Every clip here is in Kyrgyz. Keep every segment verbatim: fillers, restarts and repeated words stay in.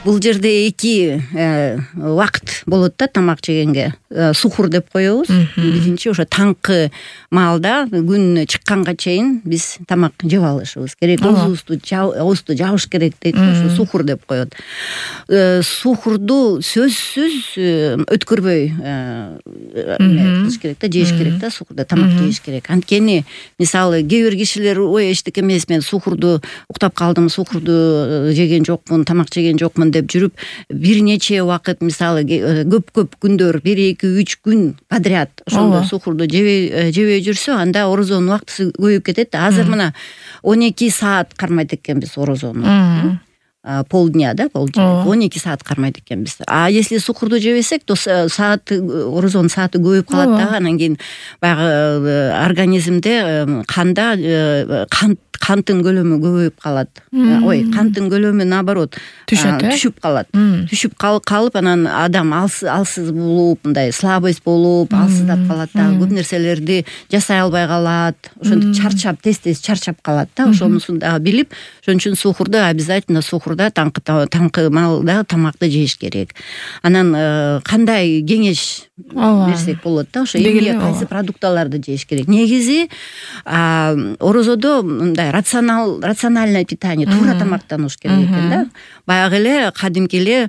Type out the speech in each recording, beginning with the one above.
Бул жерде эки убакыт болот да тамак жегенге. Сухур деп коебуз. Биринчи ошо таңкы маалда күн чыкканга чейин биз тамак жеп алышыбыз керек. Оозубузду оозду жабыш керек дейт. Ошо сухур деп коет. Сухурду сөзсүз өткөрбөй кылыш керек да, жеш керек да, сухурда тамак жеш керек. Анткени мисалы кээ бир кишилер ой эчтеке эмес, мен сухурду уктап калдым, сухурду жеген жокмун, тамак жеген жокмун деп жүрүп, бир нече убакыт мисалы көп-көп күндөр, бир эки үч күн подряд ошондой сухурду жебей жебей жүрсө, анда орозонун убактысы көбөйүп кетет. Азыр мына он эки саат кармайт экенбиз орозону. Полдня, да, полдня. он эки саат кармайт экенбиз. А если сухурду жебесек, то саат орозонун сааты көбөйүп калат да. Анан кийин баягы организмде канда кант канттын көлөмү көбөйүп калат. Ой, канттын көлөмү наоборот түшүп калат. Түшүп калып, анан адам алсыз болуп, мындай слабость болуп, алсыздап калат да. Көп нерселерди жасай албай калат. Ошентип чарчап, тез-тез чарчап калат да. Ошонусун дагы билип, ошон үчүн сухурду обязательно сухурда таңкы таңкы маалда тамакты жеш керек. Анан кандай кеңеш берсек болот да, ошо эмне кайсы продукталарды жеш керек. Негизи орозодо мындай рационал рациональное питание, туура тамактануш керек экен да. Баягы эле кадимки эле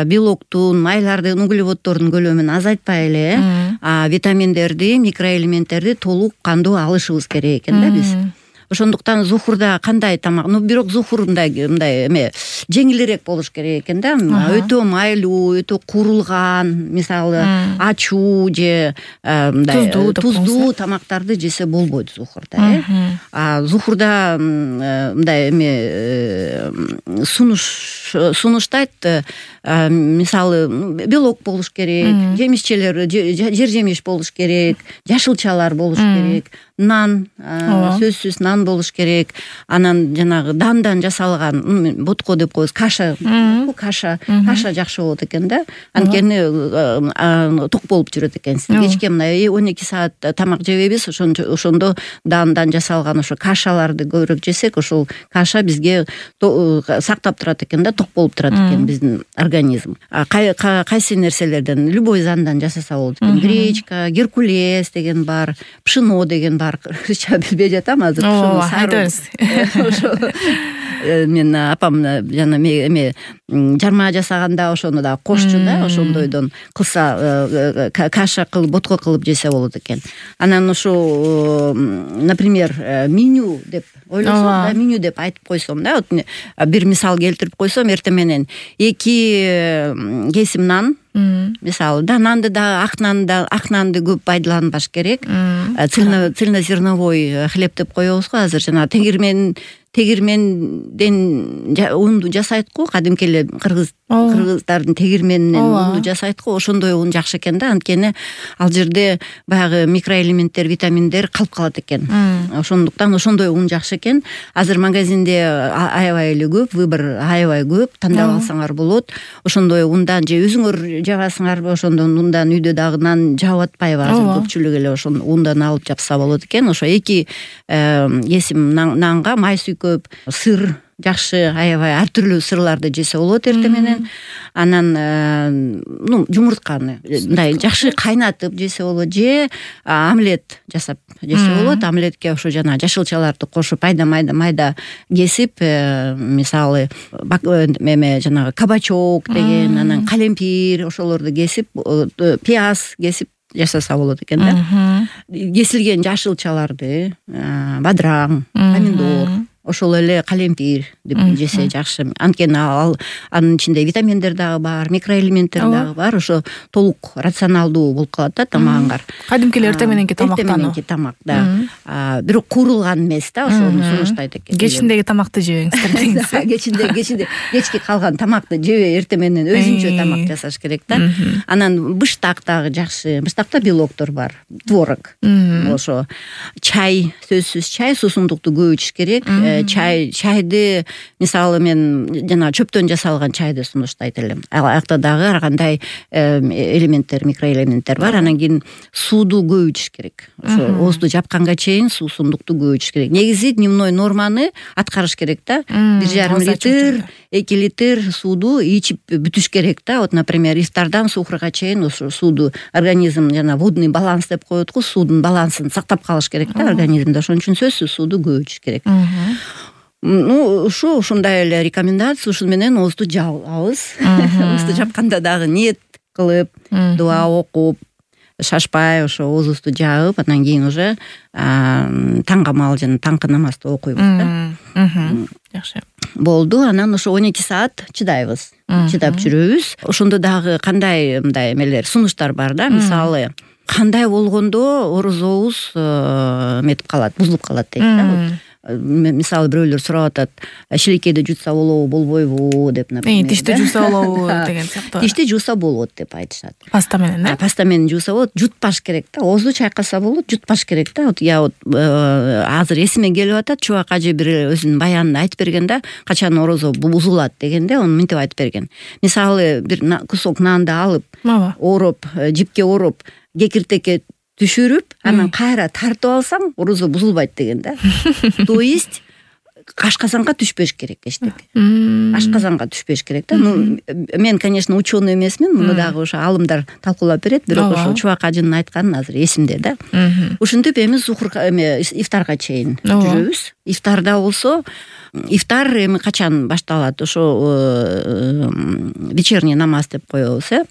белоктун, майлардын, углеводдордун көлөмүн азайтпай эле, витаминдерди, микроэлементтерди толук кандуу алышыбыз керек экен да биз. Ошондуктан сухурда кандай тамак, ну бирок сухур мындай мындай эме жеңилирээк болуш керек экен да. Өтө майлуу, өтө куурулган, мисалы ачуу же мындай туздуу тамактарды жесе болбойт сухурда, э. А сухурда мындай эме сунуш сунуштайт, мисалы белок болуш керек, жемишчелер, жер жемиш болуш керек, жашылчалар болуш керек, нан, сөзсүз нан болуш керек. Анан жанагы дандан жасалган ботко деп коебуз, каша, каша, каша жакшы болот экен да. Анткени ток болуп жүрөт экенсиз. Кечке мына он эки саат тамак жебейбиз, ошондо дандан жасалган ошо кашаларды көбүрөөк жесек, ошол каша бизге сактап турат экен да, ток болуп турат экен биздин организм. Кайсы нерселерден, любой зандан жасаса болот экен. Гречка, геркулес деген бар, пшено деген бар. Кыргызча билбей жатам азыр. Айтыңыз. Мен апам жана эме жарма жасаганда ошону да кошчу да, ошондойдон кылса, каша кылып, ботко кылып жесе болот экен. Анан ошо, например, меню деп ойлосом да, меню деп айтып койсом да, бир мисал келтирип койсом, эртең менен эки кесим нан, мисалы, да нанды да, ак нанды, ак нанды көп пайдаланбаш керек. Цельнозерновой хлеб деп коебуз го азыр, жана тегирмен тегирменден унду жасайт го, кадимки эле кыргыз кыргыздардын тегирменинен унду жасайт го. Ошондой ун жакшы экен да, анткени ал жерде баягы микроэлементтер, витаминдер калып калат экен. Ошондуктан ошондой ун жакшы экен. Азыр магазинде аябай эле көп, выбор аябай көп, тандап алсаңар болот. Ошондой ундан же өзүңөр жабасыңарбы, ошондон ундан үйдө дагы нан жаап атпайбы, азыр көпчүлүк эле ошон ундан алып жапса болот экен. Ошо эки кесим нанга май сүйкөп, сыр жакшы, аябай ар түрдүү сырларды жесе болот эртең менен. Анан ну жумуртканы мындай жакшы кайнатып жесе болот, же омлет жасап жесе болот. Омлетке ошо жана жашылчаларды кошуп, майда майда майда кесип, мисалы эме жанагы кабачок деген, анан калемпир ошолорду кесип, пияз кесип жасаса болот экен да. Кесилген жашылчаларды, бадыраң, помидор, ошол эле калемпир деп жесе жакшы. Анткени ал анын ичинде витаминдер дагы бар, микроэлементтер дагы бар. Ошо толук рационалдуу болуп калат да тамагыңар. Кадимки эртең мененки тамактан. Эртең мененки тамак, да. Бирок куурулган эмес да, ошону сунуштайт экен. Кечиндеги тамакты жебеңиздер деңиз. Кечинде кечинде кечки калган тамакты жебей эртең менен өзүнчө тамак жасаш керек да. Анан быштак дагы жакшы. Быштакта белоктор бар, творог. Ошо чай, сөзсүз чай, суусундукту көп ичиш керек. чай чайды мисалы мен жана чөптөн жасалган чайды сунуштайт элем. Аяқта дагы ар кандай элементтер, микроэлементтер бар. Анан кийин сууду көп ичиш керек. Ошо оозду жапканга чейин суусундукту көп ичиш керек. Негизи дневной норманы аткарыш керек да. бир жарым литр, эки литр сууду ичип бүтүш керек да. Вот, например, ифтардан сухурга чейин ошо сууду организм жана водный баланс деп коет го, суудун балансын сактап калыш керек да организмде. Ошон үчүн сөзсүз сууду көп ичиш керек. Ну, ушу ушундай эле рекомендация. Ушун менен оозду жабабыз. Оозду жапканда дагы ниет кылып, дуа окуп, шашпай ошо оозубузду жаап, анан кийин уже таң камал жана таңкы намазды окуйбуз да. Жакшы. Болду. Анан ошо он эки саат чыдайбыз. Чыдап жүрөбүз. Ошондо дагы кандай мындай эмелер, сунуштар бар да. Мисалы, кандай болгондо орозобуз метип калат, бузулуп калат дейт да. Мисалы бирөөлөр сурап атат, шилекейди жутса болобу, болбойбу деп, например. Тишти жууса болобу деген сыяктуу. Тишти жууса болот деп айтышат. Паста менен, да? Паста менен жууса болот, жутпаш керек да. Оозду чайкаса болот, жутпаш керек да. Вот я вот азыр эсиме келип атат, Чубак ажы бир өзүнүн баянында айтып берген да, качан орозо бузулат дегенде, аны мынтип айтып берген. Мисалы бир кусок нанды алып, ороп, жипке ороп, кекиртекке түшүрүп, анан кайра тартып алсаң, орозо бузулбайт деген да. То есть ашказанга түшпөш керек эчтеке. Ашказанга түшпөш керек да. Ну, мен, конечно, ученый эмесмин, муну дагы ошо алымдар талкуулап берет, бирок ошо Чубак ажынын айтканы азыр эсимде да. Ушинтип эми сухурга эме ифтарга чейин жүрөбүз. Ифтарда болсо, ифтар эми качан башталат? Ошо вечерний намаз деп коебуз, э?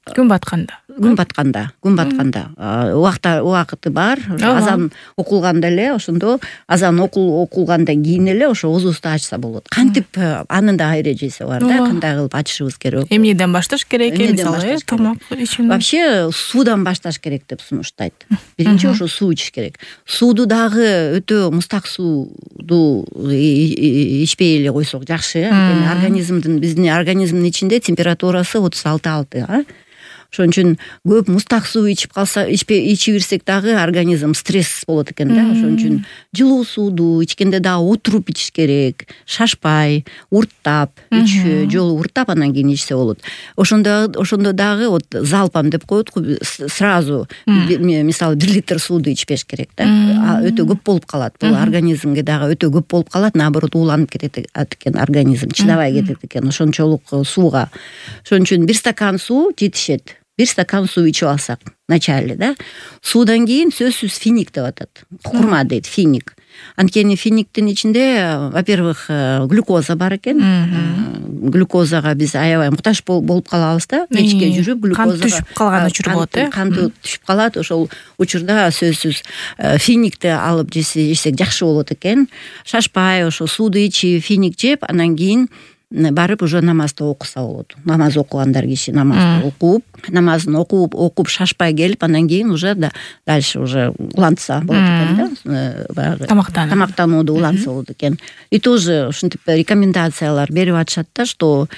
Күн батканда. Күн батканда, күн батканда. Убакта убакыты бар. Азан окулганда эле, ошондо азан окулгандан кийин эле ошо оозубузду ачса болот. Кантип анын да эрежеси бар да, кандай кылып ачышыбыз керек. Эмнеден башташ керек, мисалы, тамак ичүүнү. Вообще суудан башташ керек деп сунуштайт. Биринчи ошо суу ичиш керек. Сууду дагы өтө мустак сууду ичпей эле койсок жакшы. Эми организмдин, биздин организмдин ичинде температурасы отуз алты алты, а? Ошон үчүн көп мустак суу ичип калса, ичпей ичи берсек дагы организм стресс болот экен да. Ошон үчүн жылуу сууду ичкенде дагы отуруп ичиш керек, шашпай, урттап, үч жолу урттап анан кийин ичсе болот. Ошондо ошондо дагы вот залпам деп коет го, сразу мисалы бир литр сууду ичпеш керек да. Өтө көп болуп калат. Бул организмге дагы өтө көп болуп калат, наоборот ууланып кетет экен организм, чыдабай кетет экен ошончолук сууга. Ошон үчүн бир стакан суу жетишет. Бир стакан суу ичип алсак начале да. Суудан кийин сөзсүз финик деп атат. Курма дейт, финик. Анткени финиктин ичинде, во-первых, глюкоза бар экен. Глюкозага биз аябай муктаж болуп калабыз да. Кечке жүрүп глюкозага кан түшүп калган учур болот, э? Кан түшүп калат. Ошол учурда сөзсүз финикти алып жесек жакшы болот экен. Шашпай ошо сууду ичип, финик жеп, анан кийин барып уже намазды окуса болот. Намаз окугандар киши намазды окуп, намазын окуп, окуп шашпай келип, анан кийин уже да дальше уже улантса болот экен да. Тамактануу. Тамактанууду улантса болот экен. И тоже ушинтип рекомендациялар берип атышат да, что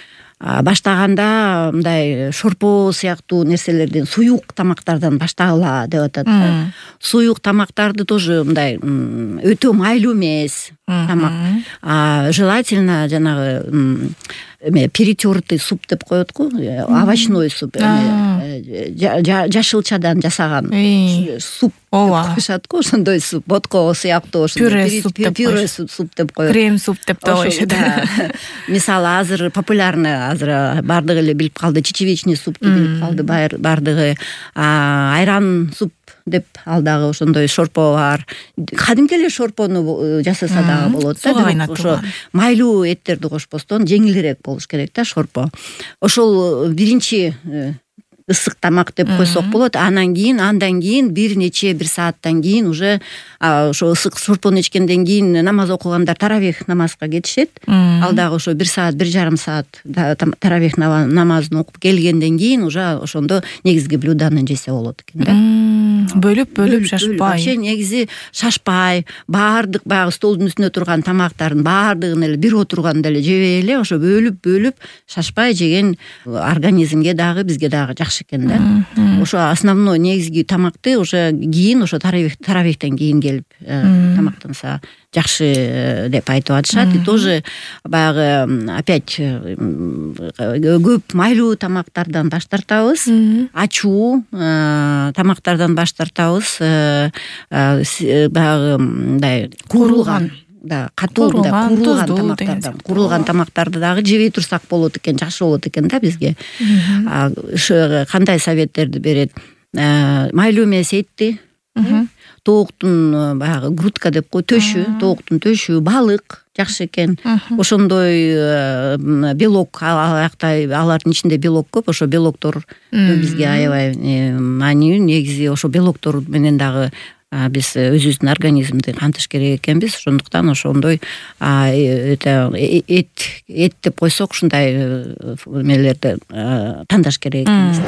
баштаганда мындай шорпо сыяктуу нерселерден, суюк тамактардан баштагыла деп атат. Суюк тамактарды тоже мындай өтө майлуу эмес тамак. Желательно жанагы эме перетертый суп деп коет го, овощной суп, жашылчадан жасаган суп деп коюшат го, ошондой суп, ботко сыяктуу, пюре суп деп коет. Крем суп деп да коюшат. Мисалы азыр популярный, азыр бардыгы эле билип калды, чечевичный супты билип калды бардыгы, айран суп деп ал дагы ошондой шорпо бар. Кадимки эле шорпону жасаса дагы болот да. Ошо майлуу эттерди кошпостон жеңилирээк болуш керек да шорпо. Ошол биринчи ысык тамак деп койсок болот. Анан кийин, андан кийин бир нече бир сааттан кийин уже ошо ысык шорпону ичкенден кийин намаз окугандар таравих намазга кетишет. Ал дагы ошо бир саат, бир жарым саат таравих намазын окуп келгенден кийин уже ошондо негизги блюданы жесе болот экен да. бөлүп бөлүп шашпай вообще негизи шашпай баардык баягы столдун үстүндө турган тамактардын баардыгын эле бир отурганда эле жебей эле ошо бөлүп бөлүп шашпай жеген организмге дагы бизге дагы жакшы экен да. Ошо основной негизги тамакты уже кийин ошо таравихтен кийин келип тамактанса жакшы деп айтып атышат. И тоже баягы опять көп майлуу тамактардан баш тартабыз, ачуу тамактардан баш тартабыз, баягы мындай куурулган да катуу мындай куурулган тамактардан куурулган тамактарды дагы жебей турсак болот экен, жакшы болот экен да бизге. Ошо кандай советтерди берет? Майлуу эмес этти, тооктун баягы грудка деп кой, төшү, тооктун төшү, балык жакшы экен. Ошондой белок, алардын ичинде белок көп, ошо белоктор бизге аябай маанилүү. Негизи ошо белоктор менен дагы биз өзүбүздүн организмди кантыш керек экенбиз. Ошондуктан ошондой эт эт деп койсок ушундай эмелерди тандаш керек экенбиз.